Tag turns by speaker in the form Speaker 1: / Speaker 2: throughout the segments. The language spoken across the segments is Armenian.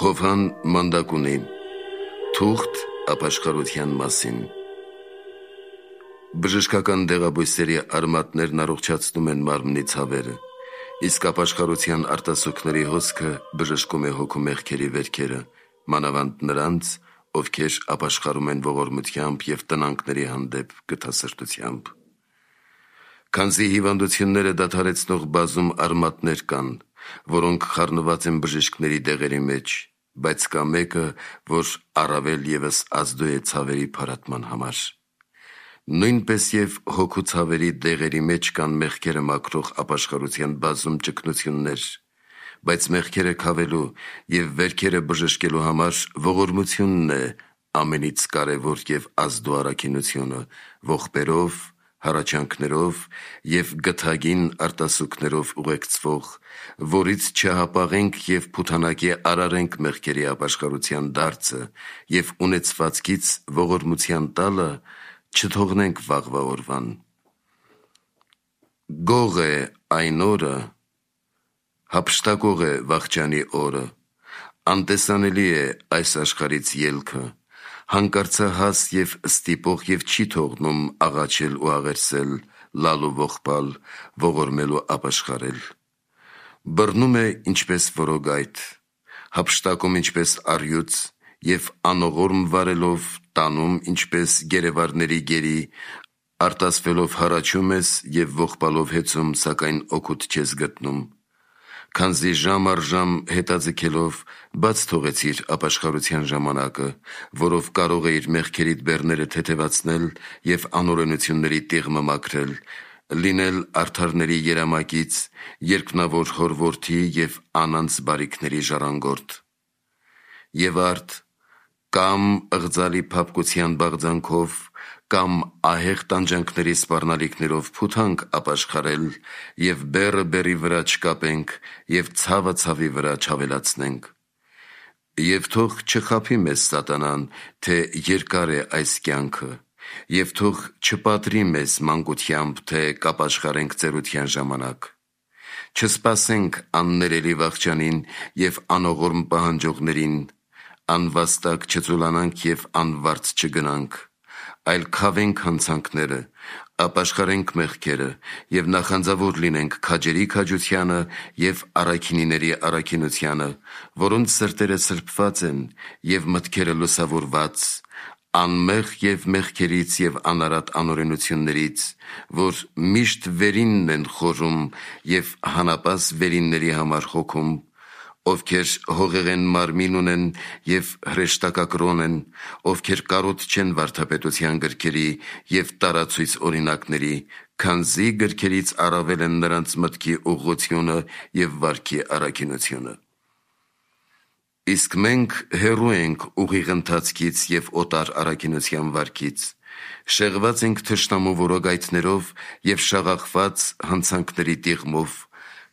Speaker 1: Հովհան մանդակունի թուղթ ապաշխարության մասին։ Բժշկական դեղաբույսերի արմատներն առողջացնում են մարմնի ցավերը, իսկ ապաշխարության արտասուքների հոսքը բժշկում է հոգու մեղքերի վերքերը, մանավանդ նրանց, ովքեր ապաշխարում են ողորմությամբ և տնանքների հանդեպ գթասրտությամբ։ Քանզի հիվանդությունները դադարեցնող բազում արմատներ կան, որոնք խառնված են բժիշկների դեղերի մեջ, բայց կա մեկը, որ առավել ևս ազդու է ցավերի փարատման համար։ Նույնպես և հոգու ցավերի դեղերի մեջ կան մեղքերը մաքրող ապաշխարության բազում ճգնություններ, բայց մեղքերը քավելու և վերքերը բժշկելու համար ողորմությունն է ամենից կարևոր և ազդու առաքինությունը, ողբերով, հառաչանքներով և գթագին արտասուքներով ուղեկցվող, որից չհապաղենք և փութանակի արարենք մեղքերի ապաշխարության դարձը և ունեցվածքից ողորմության տալը չթողնենք վաղվա օրվան։ Գող է այն օրը, հափշտակող է վախճանի օրը, անտեսանելի է այս աշխարհից ելքը, հանկարծահաս և ստիպող և չի թողնում աղաչել ու աղերսել, լալ ու ողբալ, ողորմել ու ապաշխարել։ Բռնում է ինչպես որոգայթ, հափշտակում ինչպես առյուծ և անողորմ վարելով տանում ինչպես գերեվարների գերի, արտասվելով հառաչում ես և ողբալով հեծում, սակայն օգուտ չես գտնում։ Քանզի ժամ առ ժամ հետաձգելով բաց թողեցիր ապաշխարության ժամանակը, որով կարող էիր մեղքերիդ բեռները թեթևացնել և անօրենությունների տիղմը մաքրել, լինել արդարների երամակից, երկնավոր հոր որդի և անանց բարիքների ժառանգորդ։ Եվ արդ կամ ըղձալի փափկության բաղձանքով, կամ ահեղ տանջանքների սպառնալիքներով փութանք ապաշխարել և բեռը բեռի վրա չկապենք և ցավը ցավի վրա չավելացնենք։ Եվ թող չխաբի մեզ սատանան, թե երկար է այս կյանքը, և թող չպատրի մեզ մանկությամբ, թե կապաշխարենք ծերության ժամանակ։ Չսպասենք աններելի վախճանին և անողորմ պահանջողներին, անվաստակ չծուլանանք և անվարձ չգնանք, այլ քավենք հանցանքները, ապաշխարենք մեղքերը և նախանձավոր լինենք քաջերի քաջությանը և առաքինիների առաքինությանը, որոնց սրտերը սրբված են և մտքերը լուսավորված, անմեղ և մեղքերից և անարատ անօրենություններից, որ միշտ վերինն են խորում և հանապաս վերինների համար հոգում, ովքեր հողեղեն մարմին ունեն և հրեշտակակրոն են, ովքեր կարոտ չեն վարդապետության գրքերի և տարացույց օրինակների, քանզի գրքերից առավել են նրանց մտքի ուղղությունը և վարքի առաքինությունը։ Իսկ մենք հեռու ենք ուղիղ ընթացքից և օտար առաքինության վարքից, շեղված ենք թշնամու որոգայթներով և շաղախված հանցանքների տիղմով,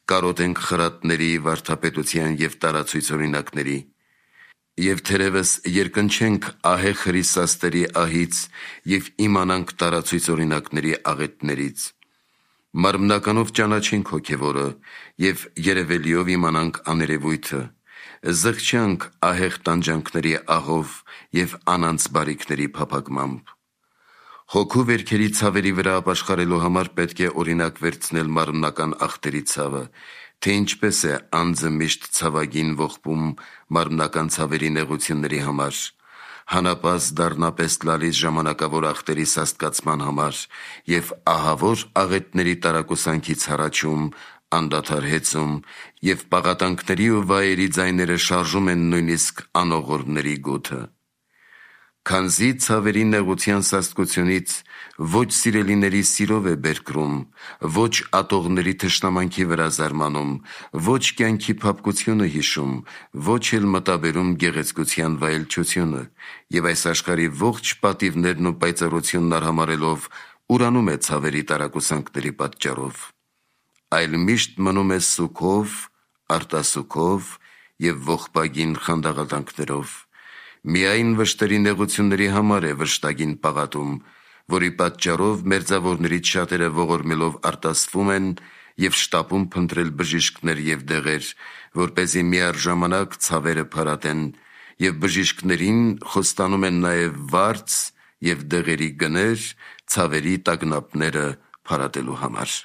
Speaker 1: կարոտ ենք խրատների, վարդապետության և տարացույց օրինակների, և թերևս երկնչենք ահեղ հրիսաստերի ահից և իմանանք տարացույց օրինակների աղետներից։ Մարմնականով ճանաչենք հոգևորը և երևելիով իմանանք աներևույթը, զղջանք ահեղ տանջանքների աղով և անանց բարիքների փափագմամբ։ Հոգու վերքերի ցավերի վրա ապաշխարելու համար պետք է օրինակ վերցնել մարմնական ախտերի ցավը, թե ինչպես է անձը միշտ ցավագին ողբում մարմնական ցավերի նեղությունների համար, հանապաս դառնապես լալիս ժամանակավոր ախտերի սաստկացման համար և ահավոր աղետների տարակուսանքից հառաչում, անդադար հեծում և պաղատանքների ու վայերի ձայները շարժում են նույնիսկ անողորմների գութը։ Քանզի ցավերի նեղության սաստկությունից ոչ սիրելիների սիրով է բերկրում, ոչ ատողների թշնամանքի վրա զարմանում, ոչ կյանքի փափկությունը հիշում, ոչ էլ մտաբերում գեղեցկության վայելչությունը, և այս աշխարհի ողջ պատիվներն ու պայծառությունն արհամարհելով ուրանում է ցավերի տարակուսանքների պատճառով, այլ միշտ մնում է սուգով, արտասուքով և ողբագին խանդաղատանքներով, միայն վշտերի նեղությունների համար է վշտագին պաղատում, որի պատճառով մերձավորներից շատերը ողորմելով արտասվում են և շտապում փնտրել բժիշկներ և դեղեր, որպեսզի միառժամանակ ցավերը փարատեն, եւ բժիշկներին խոստանում են նաեւ վարձ եւ դեղերի գներ ցավերի տագնապները փարատելու համար։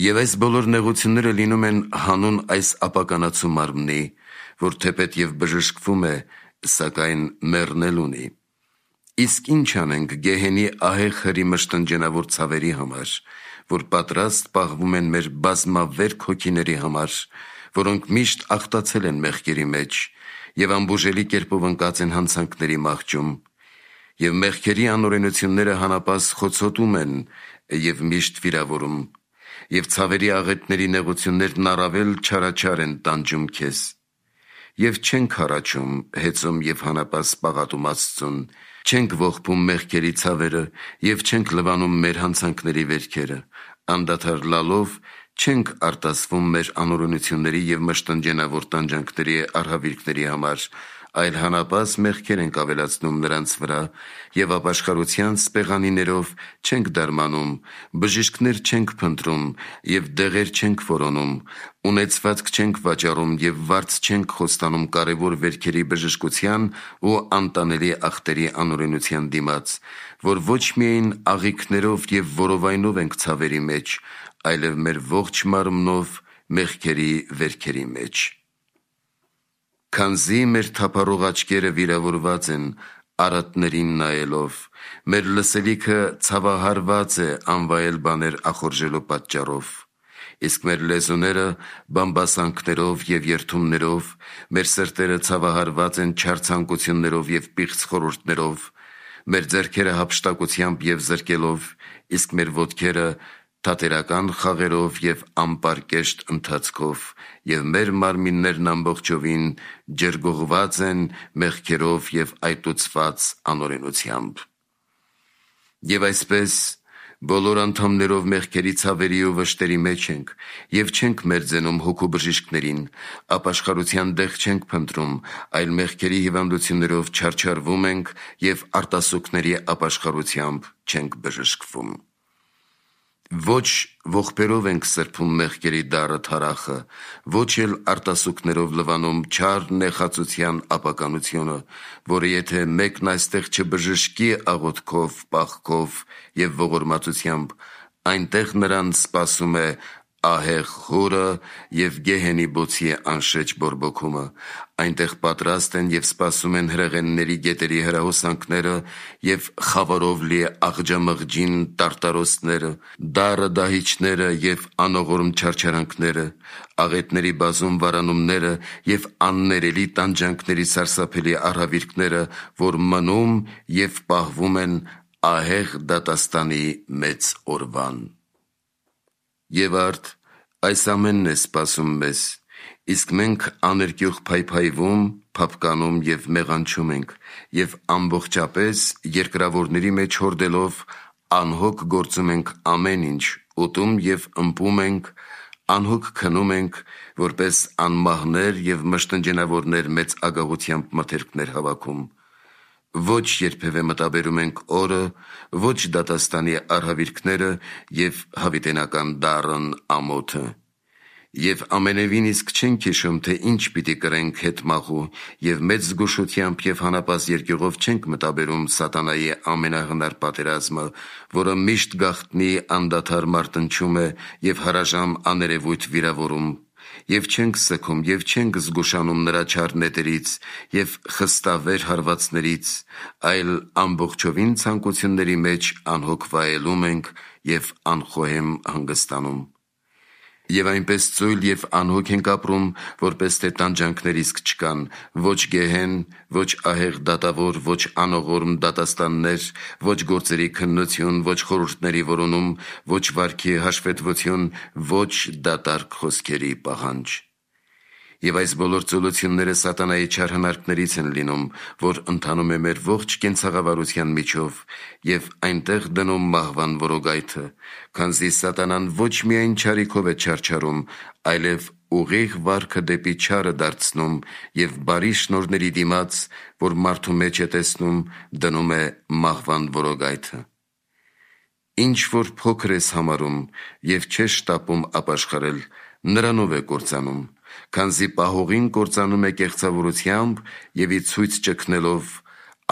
Speaker 1: Եվ այս բոլոր նեղությունները լինում են հանուն այս ապականացու մարմնի, որ թեպետ եւ բժշկվում է, սակայն մեռնել ունի։ Իսկ ինչ անենք գեհենի ահեղ հրի մշտնջենավոր ցավերի համար, որ պատրաստ պահվում են մեր բազմավերք հոգիների համար, որոնք միշտ ախտացել են մեղքերի մեջ եւ ամբուժելի կերպով ընկած են հանցանքների մահճում, եւ մեղքերի անօրենությունները հանապաս խոցոտում են եւ միշտ վիրավորում, եւ ցավերի աղետների նեղություններն առավել չարաչար են տանջում քեզ, եւ չենք հառաչում, հեծում եւ հանապաս պաղատում Աստծուն, չենք ողբում մեղքերի ցավերը եւ չենք լվանում մեր հանցանքների վերքերը, անդադար լալով չենք արտասվում մեր անօրենությունների եւ մշտնջենավոր տանջանքների արհավիրքների համար, այլ հանապաս մեղքեր ենք ավելացնում նրանց վրա եւ ապաշխարության սպեղանիներով չենք դարմանում, բժիշկներ չենք փնտրում եւ դեղեր չենք որոնում, ունեցվածք չենք վաճառում եւ վարձ չենք խոստանում կարեւոր վերքերի բժշկության ու անտանելի ախտերի անօրենության դիմաց, որ ոչ միայն աղիքներով եւ որովայնով ենք ցավերի մեջ, այլև մեր ողջ մարմնով մեղքերի վերքերի մեջ։ Քանզի մեր թափառող աչքերը վիրավորված են արատներին նայելով, մեր լսելիքը ցավահարված է անվայել բաներ ախորժելու պատճառով, իսկ մեր լեզուները բամբասանքներով եւ երդումներով, մեր սրտերը ցավահարված են չար ցանկություններով եւ պիղծ խորհուրդներով, մեր ձեռքերը հափշտակությամբ եւ զրկելով, իսկ մեր ոտքերը թատերական խաղերով եւ ամպարկեշտ ընթացքով, եւ մեր մարմիններն ամբողջովին ջրգողված են մեղքերով եւ այտուցված անօրենությամբ։ Եվ այսպես բոլոր անդամներով մեղքերի ցավերի ու վշտերի մեջ ենք եւ չենք մերձենում հոգու բժիշկներին, ապաշխարության դեղ չենք փնտրում, այլ մեղքերի հիվանդություններով չարչարվում ենք եւ արտասուքների ապաշխարությամբ չենք բժշկվում։ Ոչ ողբերով ենք սրբում մեղքերի դառը թարախը, ոչ էլ արտասուքներով լվանում չար նեխածության ապականությունը, որը եթե մեկն այստեղ չբժշկի աղոթքով, պաղքով եւ ողորմածությամբ, այնտեղ նրան սպասում է ահեղ հորը եւ գեհենի բոցի անշեջ բորբոքումը, այնտեղ պատրաստ են եւ սպասում են հրեղենների գետերի հրահոսանքները եւ խավարով լի աղջամղջին տարտարոսները, դառը դահիճները եւ անողորմ չարչարանքները, աղետների բազում վարանումները եւ աններելի տանջանքների սարսափելի արհավիրքները, որ մնում եւ պահվում են ահեղ դատաստանի մեծ օրվան։ Եվ արդ այս ամենն է սպասում մեզ, իսկ մենք աներկյուղ փայփայվում, փափկանում եւ մեղանչում ենք եւ ամբողջապես երկրավորների մեջ հորդելով անհոգ գործում ենք ամեն ինչ, ուտում եւ ըմպում ենք, անհոգ քնում ենք, որպես անմահներ եւ մշտնջենավորներ մեծ ագահությամբ մթերքներ հավաքում, ոչ երբևէ մտաբերում ենք օրը, ոչ դատաստանի արհավիրքները եւ հավիտենական դառն ամոթը, եւ ամենևին իսկ չենք հիշում, թե ինչ պիտի կրենք հետմահու եւ մեծ զգուշությամբ եւ հանապաս երկյուղով չենք մտաբերում սատանայի ամենահնար պատերազմը, որը միշտ գաղտնի անդադար մարտնչում է եւ հարաժամ աներևույթ վիրավորում, եւ չենք սգում եւ չենք զգուշանում նրա չար նետերից եւ խստավեր հարվածներից, այլ ամբողջովին ցանկությունների մեջ անհոգ վայելում ենք եւ անխոհեմ հանգստանում։ Եվ այնպես ծույլ եւ անհոգ ենք ապրում, որպես թե տանջանքներ իսկ չկան, ոչ գեհեն, ոչ ահեղ դատավոր, ոչ անողորմ դատաստաններ, ոչ գործերի քննություն, ոչ խորհուրդների որոնում, ոչ վարքի հաշվետվություն, ոչ դատարկ խոսքերի պահանջ։ Եվ այս բոլոր ծուլությունները սատանայի չար հնարքներից են լինում, որ ընթանում է մեր ողջ կենցաղավարության միջով եւ այնտեղ դնում մահվան որոգայթը, քանզի սատանան ոչ միայն չարիքով է չարչարում, այլև ուղիղ վարքը դեպի չարը դարձնում եւ բարի շնորհների դիմաց, որ մարդու մեջ է տեսնում, դնում է մահվան որոգայթը։ Ինչ որ փոքր ես համարում եւ չես շտապում ապաշխարել, նրանով է կործանում, քանզի պահողին կործանում է կեղծավորությամբ եւ ի ցույց ճգնելով,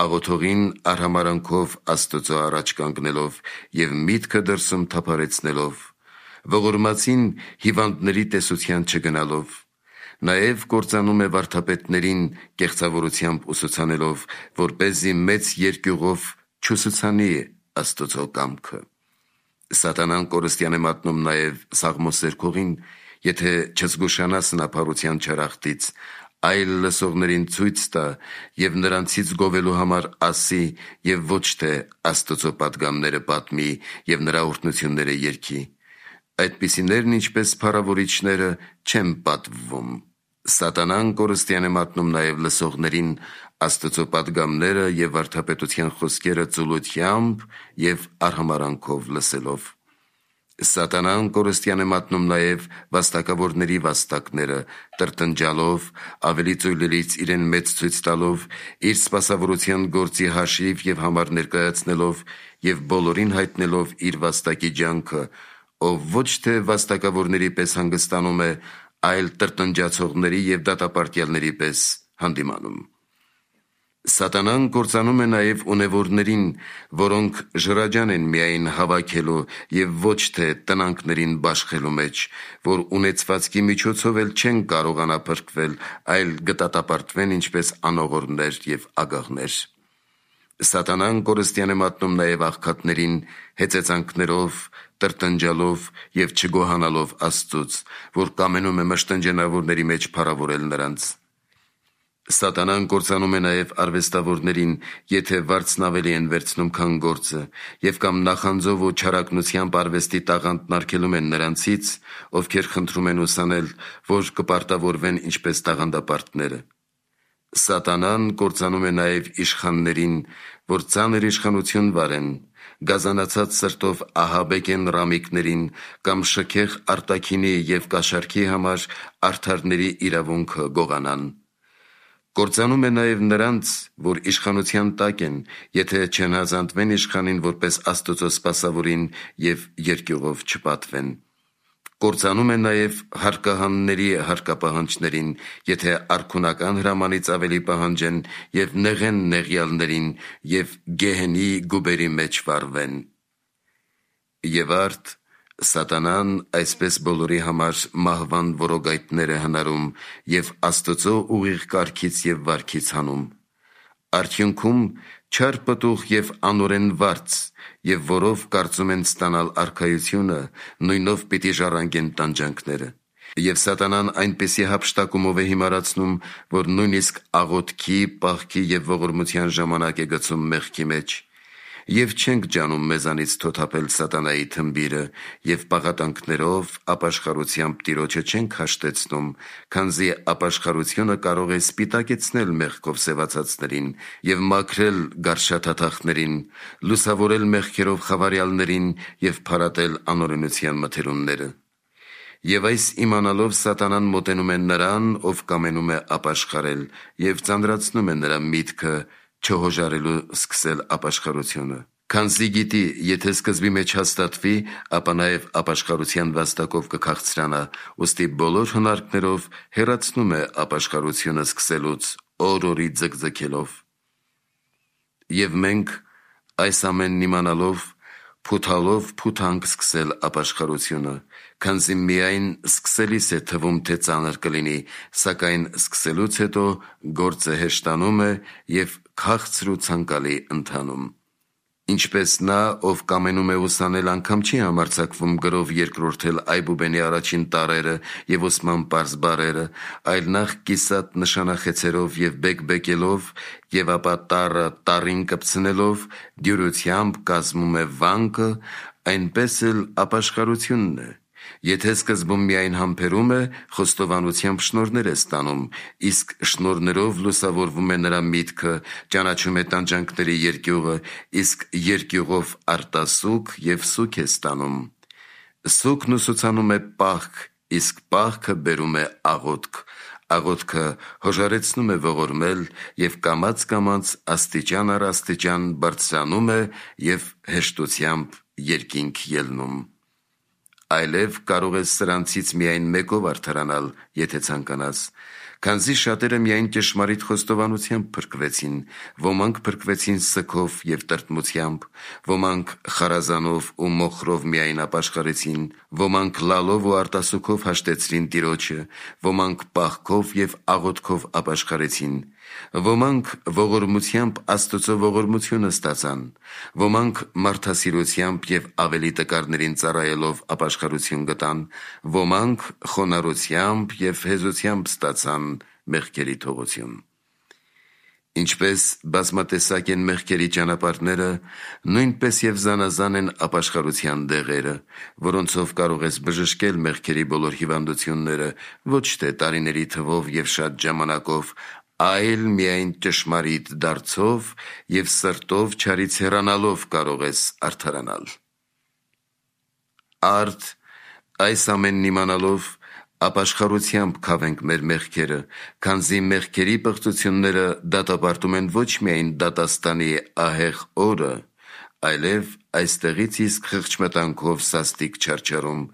Speaker 1: աղոթողին արհամարանքով Աստծո առաջ կանգնելով եւ միտքը դրսում թափարեցնելով, ողորմածին հիվանդների տեսության չգնալով, նաեւ կործանում է վարդապետներին կեղծավորությամբ ուսուցանելով, որպեսզի մեծ երկյուղով չուսուցանի Աստծո կամքը։ Սատանան կորստյան է մատնում նաև սաղմոսերքողին, եթե չզգուշանա սնափառության չարախտից, այլ լսողներին ցույց տա եւ նրանցից գովելու համար ասի եւ ոչ թե Աստծո պատգամները պատմի եւ նրա օրհնությունները երգի։ Այդպիսիներն ինչպես փառավորիչները չեն պատվվում։ Սատանան կորստյան է մատնում նաև լսողներին Աստծո պատգամները եւ վարդապետության խոսքերը ծուլությամբ եւ արհամարանքով լսելով։ Սատանան կորստյան է մատնում նաև վաստակավորների վաստակները, տրտնջալով, ավելի ծույլերից իրեն մեծ ցույց տալով, իր սպասավորության գործի հաշիվ եւ համար ներկայացնելով եւ բոլորին հայտնելով իր վաստակի ջանքը, ով ոչ թե վաստակավորների պես հանգստանում է, այլ տրտնջացողների եւ դատապարտյալների պես հանդիմանում։ Սատանան կործանում է նաև ունևորներին, որոնք ժրաջան են միայն հավաքելու եւ ոչ թե տնանքներին բաշխելու մեջ, որ ունեցվածքի միջոցով էլ չեն կարողանա փրկվել, այլ գտատապարտվեն ինչպես անողորներ եւ ագաղներ։ Սատանան կորստյան է մատնում նաև աղքատներին հեծեծանքներով, տրտնջալով եւ չգոհանալով Աստծուց, որ կամենում է մշտնջենավորների մեջ փառավորել նրանց։ Սատանան կործանում է նաև արվեստավորներին, եթե վարձն ավելի են վերցնում, քան գործը, եւ կամ նախանձով ու չարակնությամբ արվեստի տաղանդն արգելում են նրանցից, ովքեր խնդրում են ուսանել, որ կպարտավորվեն ինչպես տաղանդապարտները։ Սատանան կործանում է նաև իշխաններին, որ ծանր իշխանություն վարեն, գազանացած սրտով ահաբեկեն ռամիկներին կամ շքեղ արտաքինի եւ կաշառքի համար արդարների իրավունքը գողանան։ Կործանում է նաև նրանց, որ իշխանության տակ են, եթե չհնազանդվեն իշխանին որպես Աստծո սպասավորին եւ երկյուղով չպատվեն։ Կործանում է նաև հարկահանների հարկապահանջներին, եթե արքունական հրամանից ավելի պահանջեն եւ նեղեն նեղյալներին եւ գեհենի գուբերի մեջ վարվեն։ Եվ արդ Սատանան այսպես բոլորի համար մահվան որոգայթներ է հնարում եւ Աստծո ուղիղ կարգից եւ վարքից հանում։ Արդյունքում չար պտուղ եւ անօրեն վարձ, եւ որով կարծում են ստանալ արքայությունը, նույնով պիտի ժառանգեն տանջանքները։ Եվ Սատանան այնպիսի հափշտակումով է հիմարացնում, որ նույնիսկ աղոթքի, պահքի եւ ողորմության ժամանակ է գցում մեղքի մեջ։ Եվ չենք ջանում մեզանից թոթափել սատանայի թմբիրը եւ պաղատանքներով ապաշխարությամբ Տիրոջը չենք հաշտեցնում, քանզի ապաշխարությունը կարող է սպիտակեցնել մեղքով սևացածներին եւ մաքրել գարշաթաթախներին, լուսավորել մեղքերով խավարյալներին եւ փարատել անօրենության մթերումները։ Եվ այս իմանալով Սատանան մոտենում է նրան, ով կամենում է ապաշխարել եւ ծանրացնում է նրա միտքը չհոժարելու սկսել ապաշխարությունը։ Քանզի գիտի, եթե սկզբի մեջ հաստատվի, ապա նաև ապաշխարության վաստակով կքաղցրանա, ուստի բոլոր հնարքներով հեռացնում է ապաշխարությունը սկսելուց, օր-օրի ձգձգելով։ Եվ մենք այս ամենն իմանալով փութալով փութանք սկսել ապաշխարությունը, քանզի միայն սկսելիս է թվում, թե ծանր կլինի, սակայն սկսելուց հետո գործը հեշտանում է եւ քաղցր ու ցանկալի ընթանում։ Ինչպես նա, ով կամենում է ուսանել, անգամ չի համարձակվում գրով երկրորդել Այբուբենի առաջին տառերը եւ Օսման պարզ բառերը, այլ նախ կիսատ նշանախեցերով եւ բեկբեկելով եւ ապա տառը տառին կպցնելով դյուրությամբ կազմում է վանկը, այնպես էլ ապաշխարությունն է։ Եթե սկզբում միայն համբերում է, խոստովանությամբ շնորհներ է ստանում, իսկ շնորհներով լուսավորվում է նրա միտքը, ճանաչում է տանջանքների երկյուղը, իսկ երկյուղով արտասուք եւ սուք է ստանում։ Սուքն ուսուցանում է պահք, իսկ պահքը բերում է աղոթք։ Աղոթքը հոժարեցնում է ողորմել եւ կամաց աստիճան առ աստիճան բարձրանում է եւ հեշտությամբ երկինք ելնում։ այլև կարող ես սրանցից միայն մեկով արդարանալ, եթե ցանկանաս, քանզի շատերը միայն ճշմարիտ խոստովանությամբ փրկվեցին, ոմանք փրկվեցին սգով և տրտմությամբ, ոմանք խարազանով ու մոխրով միայն ապաշխարեցին, ոմանք լալով ու արտասուքով հաշտեցրին Տիրոջը, ոմանք պահքով և աղոթքով ապաշխարեցին, ոմանք ողորմությամբ Աստծո ողորմությունը ստացան, ոմանք մարդասիրությամբ և ավելի տկարներին ծառայելով ապաշխարություն գտան, ոմանք խոնարհությամբ և հեզությամբ ստացան մեղքերի թողություն։ Ինչպես բազմատեսակ են մեղքերի ճանապարհները, նույնպես և զանազան են ապաշխարության դեղերը, որոնցով կարող ես բժշկել մեղքերի բոլոր հիվանդությունները, ոչ թե տարիների թվով և շատ ժամանակով, այլ միայն ճշմարիտ դարձով և սրտով չարից հեռանալով կարող ես արդարանալ։ Արդ այս ամենն իմանալով ապաշխարությամբ քավենք մեր մեղքերը, քանզի մեղքերի պղծությունները դատապարտում են ոչ միայն դատաստանի ահեղ օրը, այլև այստեղից իսկ խղճմտանքով սաստիկ չարչարում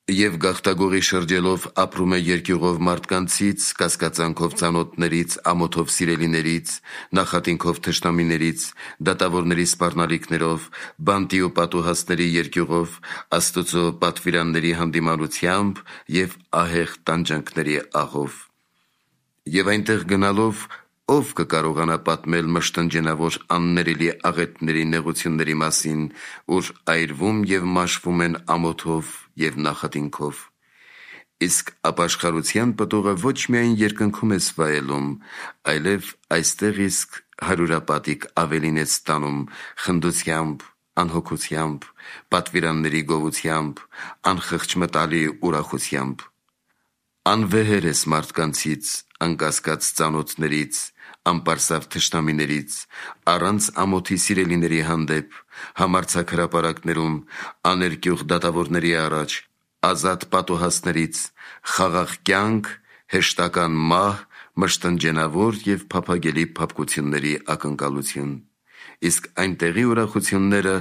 Speaker 1: և գաղտագողի շրջելով ապրում է երկյուղով մարդկանցից, կասկածանքով ծանոթներից, ամոթով սիրելիներից, նախատինքով թշնամիներից, դատավորների սպառնալիքներով, բանտի ու պատուհասների երկյուղով, Աստծո պատվիրանների հանդիմանությամբ և ահեղ տանջանքների աղով։ Եվ այնտեղ գնալով ով կկարողանա պատմել մշտնջենավոր աններելի աղետների նեղությունների մասին, ուր այրվում և մաշվում են ամոթով և նախատինքով։ Իսկ ապաշխարության պտուղը ոչ միայն երկնքում ես վայելում, այլև այստեղ իսկ հարյուրապատիկ ավելին ես ստանում խնդությամբ, անհոգությամբ, պատվիրանների գովությամբ, անխղճմտալի ուրախությամբ։ Անվեհեր ես մարդկանցից, անկասկած ծանոթներից, անպարսավ թշնամիներից, առանց ամոթի սիրելիների հանդեպ, համարձակ հրապարակներում, աներկյուղ դատավորների առաջ, ազատ պատուհասներից, խաղաղ կյանք, հեշտական մահ, մշտնջենավոր և փափագելի փափկությունների ակնկալություն։ Իսկ այնտեղի ուրախությունները,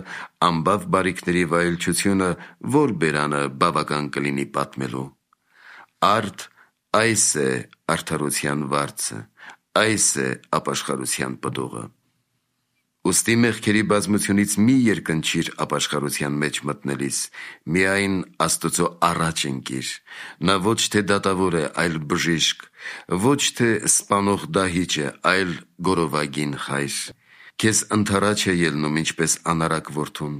Speaker 1: անբավ բարիքների վայելչությունը ո՞ր բերանը բավական կլինի պատմելու։ Արդ այս է արդարության վարձը, այս է ապաշխարության պտուղը։ Ուստի մեղքերի բազմությունից մի երկնչիր ապաշխարության մեջ մտնելիս, միայն Աստծո առաջ ընկիր, նա ոչ թե դատավոր է, այլ բժիշկ, ոչ թե սպանող դահիճ է, այլ գորովագին խայր։ Քեզ ընդառաջ է ելնում ինչպես անարակ որդուն,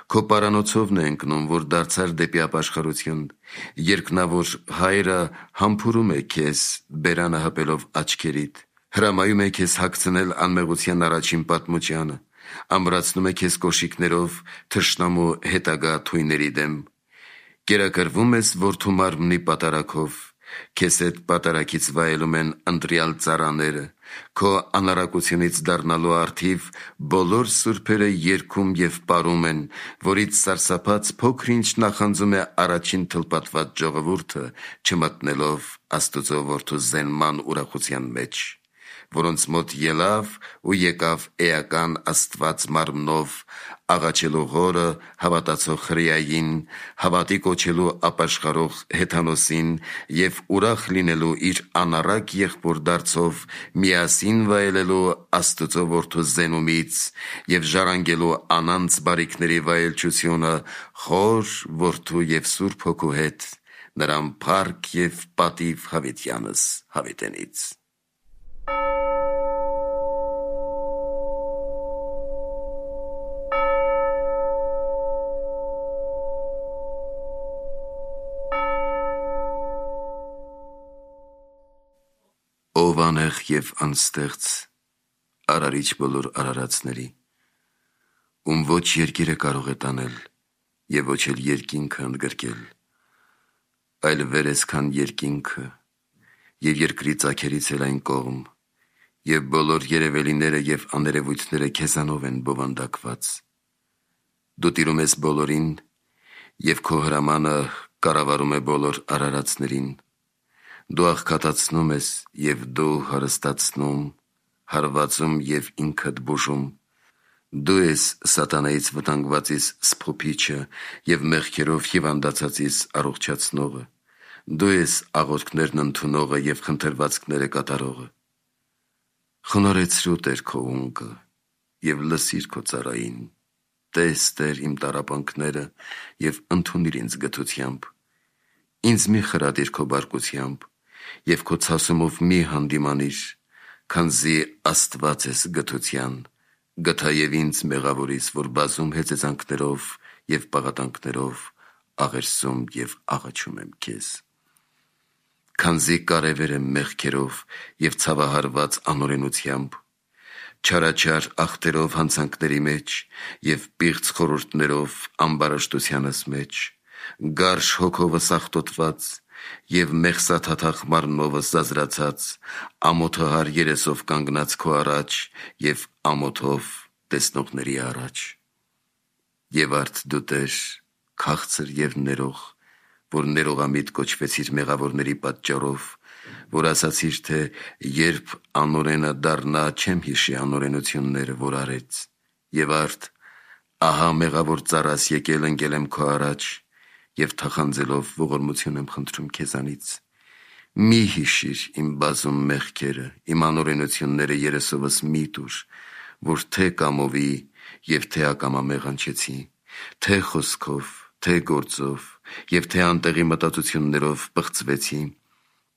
Speaker 1: քո պարանոցովն է ընկնում, որ դարձար դեպի ապաշխարություն, երկնավոր Հայրը համբուրում է քեզ, բերանը հպելով աչքերիդ, հրամայում է քեզ հագցնել անմեղության առաջին պատմուճանը, ամրացնում է քեզ կոշիկներով թշնամու հետագա թույների դեմ, կերակրվում ես որդու մարմնի պատարագով, քեզ հետ պատարագից վայելում են ընտրյալ ծառաները, քո անարակությունից դառնալու առթիվ բոլոր սուրբերը երգում և պարում են, որից սարսափած փոքր-ինչ նախանձում է առաջին թլպատված ժողովուրդը, չմտնելով Աստծո որդու զենման ուրախության մեջ, որոնց մոտ ելավ ու եկավ էական Աստված մարմնով, աղաչելու Հորը, հավատացող հրեային, հավատի կոչելու ապաշխարող Հեթանոսին և ուրախ լինելու իր անառակ եղբոր դարձով միասին վայելելու Աստծո որդու զենումից և ժառանգելու անանց բարիքների վայելչությունը Հոր, Որդու և Սուրբ Հոգու հետ, նրան փառք և պատիվ հավիտյանս հավիտենից։ Ով անեղ և անստեղծ, արարիչ բոլոր արարածների, ում ոչ երկիրը կարող է տանել և ոչ էլ երկինքը ընդգրկել, այլ վեր ես քան երկինքը և երկրի ծագերից էլ այն կողմ, և բոլոր երևելիները և աներևույթները քեզանով են բովանդակված։ Դու տիրում ես բոլորին և քո հրամանը կառավարում է բոլոր արարածներին։ Դու աղքատացնում ես և դու հարստացնում, հարվածում և ինքդ բուժում, Դու ես սատանայից վտանգվածից սփոփիչը և մեղքերով հիվանդացածից առողջացնողը, դու ես աղոթքներն ընդունողը և խնդրվածքները կատարողը։ Խոնարհեցրու Տեր քո ունկը և լսիր քո ծառային, տես Տեր իմ տառապանքները և ընդունիր ինձ գթությամբ, ինձ մի խրատիր քո բարկությամբ և քո ցասումով մի հանդիմանիր, քանզի Աստված ես գթության, գթա և ինձ մեղավորից, որ բազում հեծեծանքներով և պաղատանքներով աղերսում և աղաչում եմ քեզ։ Քանզի կարևեր եմ մեղքերով և ցավահարված անօրենությամբ, չարաչար ախտերով հանցանքների մեջ և պիղծ խորհուրդներով ամբարաշտությանս մեջ, գարշ հոգովս աղտոտված և մեղսաթաթախ մարմնովս զազրացած, ամոթահար երեսով կանգնած քո առաջ և ամոթով տեսնողների առաջ։ Եվ արդ դու Տեր, քաղցր և ներող, որ ներողամիտ կոչվեցիր մեղավորների պատճառով, որ ասացիր, թե երբ անօրենը դառնա, չեմ հիշի անօրենությունները, որ արեց, և արդ ահա մեղավոր ծառաս եկել ընկել եմ քո առաջ և թախանձելով ողորմություն եմ խնդրում քեզանից։ Մի հիշիր իմ բազում մեղքերը, իմ անօրենությունները երեսովս մի տուր, որ թե կամովի և թե ակամա մեղանչեցի, թե խոսքով, թե գործով և թե անտեղի մտածություններով պղծվեցի,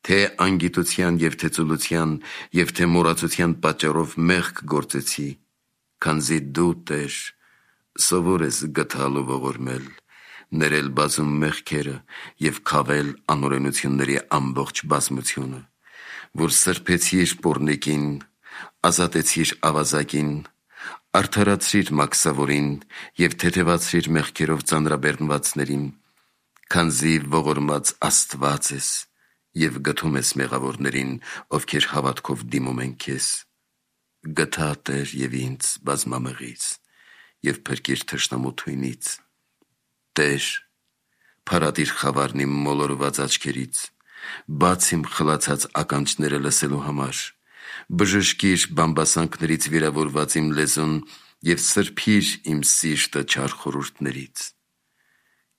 Speaker 1: թե անգիտության և թե ծուլության և թե մոռացության պատճառով մեղք գործեցի, քանզի դու Տեր սովոր ես գթալ ու ողորմել, ներել բազում մեղքերը և քավել անօրենությունների ամբողջ բազմությունը, որ սրբեցիր պոռնիկին, ազատեցիր ավազակին, արդարացրիր մաքսավորին և թեթևացրիր մեղքերով ծանրաբեռնվածներին, քանզի ողորմած Աստված ես և գթում ես մեղավորներին, ովքեր հավատքով դիմում են քեզ։ Գթա Տեր և ինձ բազմամեղից և փրկիր թշնամու թույնից։ Տեր, փարատիր խավարն իմ մոլորված աչքերից, բաց իմ խլացած ականջները լսելու համար, բժշկիր բամբասանքներից վիրավորված իմ լեզուն և սրբիր իմ սիրտը չար խորհուրդներից։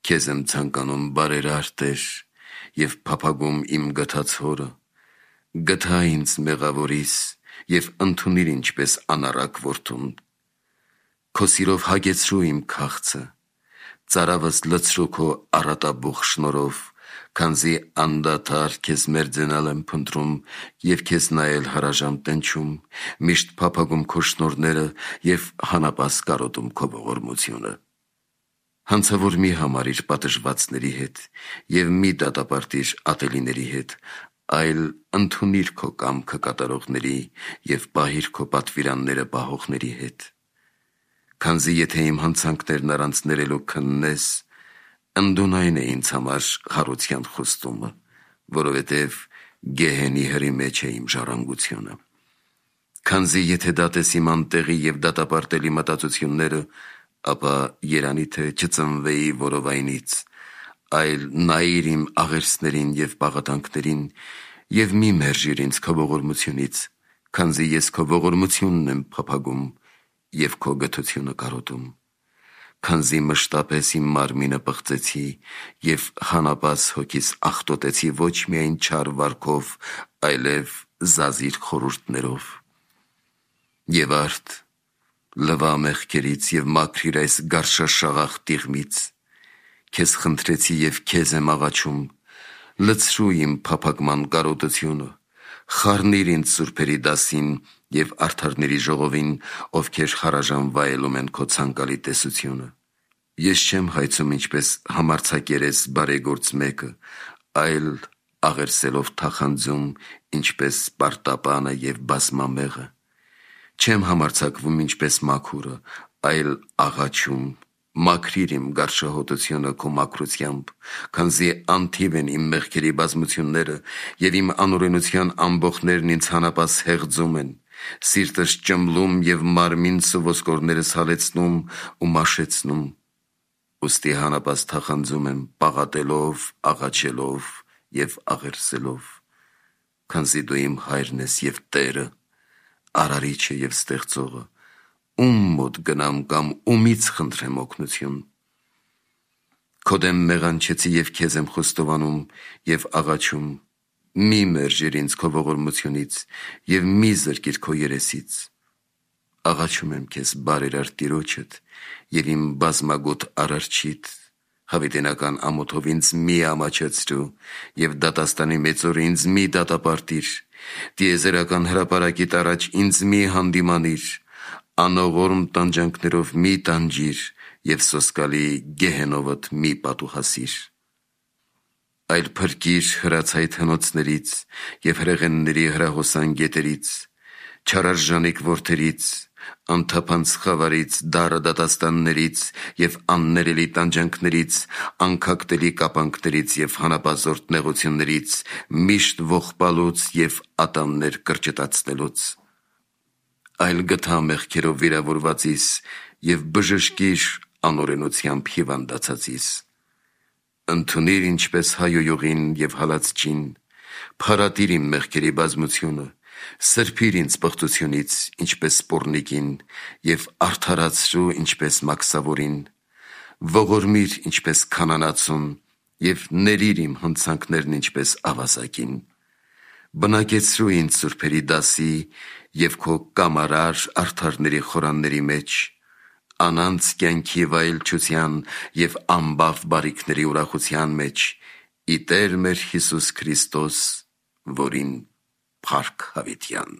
Speaker 1: Քեզ եմ ցանկանում բարերար Տեր և փափագում իմ գթած հորը, գթա ինձ մեղավորիս և ընդունիր ինչպես անառակ որդուն։ Քո սիրով հագեցրու իմ քաղցը, ծարավս լցրու քո առատաբուխ շնորհով, քանզի անդադար քեզ մերձենալ եմ փնտրում և քեզ նայել հարաժամ տնչում, միշտ փափագում քո շնորհները և հանապաս կարոտում քո ողորմությունը։ Հանցավոր մի համարիր պատժվածների հետ և մի դատապարտիր ատելիների հետ, այլ ընդունիր քո կամքը կատարողների և պահիր քո պատվիրանները պահողների հետ։ Քանզի եթե իմ հանցանքներն առանց ներելու քննես, ընդունայն է ինձ համար խարության խոստումը, որովհետև գեհենի հրի մեջ է իմ ժառանգությունը։ Քանզի եթե դատես իմ անտեղի և դատապարտելի մտածությունները, ապա երանի թե չծնվեի որովայնից, այլ նայիր իմ աղերսներին և պաղատանքներին և մի մերժիր ինձ քո ողորմությունից, քանզի ես քո ողորմությունն եմ փափագում և քո գթությունը կարոտում։ Քանզի մշտապես իմ մարմինը պղծեցի և հանապաս հոգիս աղտոտեցի ոչ միայն չար վարքով, այլև զազիր խորհուրդներով։ Եվ արդ լվա մեղքերից և մաքրիր այս գարշաշաղախ տիղմից, քեզ խնդրեցի և քեզ եմ աղաչում, լցրու իմ փափագման կարոտությունը, խառնիր ինձ սուրբերի դասին և արդարների ժողովին, ովքեր հարաժան վայելում են քո ցանկալի տեսությունը։ Ես չեմ հայցում ինչպես համարձակերես բարեգործ մեկը, այլ աղերսելով թախանձում, ինչպես պարտապանը և բազմամեղը։ Չեմ համարձակվում ինչպես մաքուրը, այլ աղաչում, մաքրիր իմ գարշահոտությունը քո մաքրությամբ, քանզի անթիվ են իմ մեղքերի բազմությունները և իմ անօրենության ամբոխներն ինձ հանապաս հեղձում են, սիրտս ճմլում և մարմինս ու ոսկորներս հալեցնում ու մաշեցնում։ Ուստի հանապաս թախանձում եմ պաղատելով, աղաչելով և աղերսելով, քանզի դու իմ հայրն ես և Տերը, արարիչը և ստեղծողը, ում մոտ գնամ կամ ումից խնդրեմ օգնություն։ Քո դեմ մեղանչեցի և քեզ եմ խոստովանում և աղաչում, մի մերժիր ինձ քո ողորմությունից և մի զրկիր քո երեսից։ Աղաչում եմ քեզ բարերար Տիրոջդ և իմ բազմագոտ Արարչիդ, հավիտենական ամոթով ինձ մի ամաչեցրու և դատաստանի մեծ օրը ինձ մի դատապարտիր, տիեզերական հրապարակիդ առաջ ինձ մի հանդիմանիր, անողորմ տանջանքներով մի տանջիր և սոսկալի գեհենովդ մի պատուհասիր։ Այլ փրկիր հրացայտ հնոցներից և հրեղենների հրահոսան գետերից, չարարժանիկ որդերից, անթափանց խավարից, դառը դատաստաններից և աններելի տանջանքներից, անքակտելի կապանքներից և հանապազորդ նեղություններից, միշտ ողբալուց և ատամներ կրճտացնելուց։ Այլ գթա մեղքերով վիրավորվածիս և բժշկիր անօրենությամբ հիվանդացածիս։ Ընդունիր ինչպես հայոյողին և հալածչին, փարատիր իմ մեղքերի բազմությունը, սրբիր ինձ պղծությունից, ինչպես սպոռնիկին, և արդարացրու ինչպես մաքսավորին, ողորմիր ինչպես քանանացուն և ներիր իմ հնցանքներն ինչպես ավազակին։ Բնակեցրու ինձ սուրբերի դասի և քո կամարար արդարների խորանների մեջ, անանց կյանքի վայելչության և անբավ բարիքների ուրախության մեջ, ի Տեր մեր Հիսուս Քրիստոս, որին փառք հավիտյան։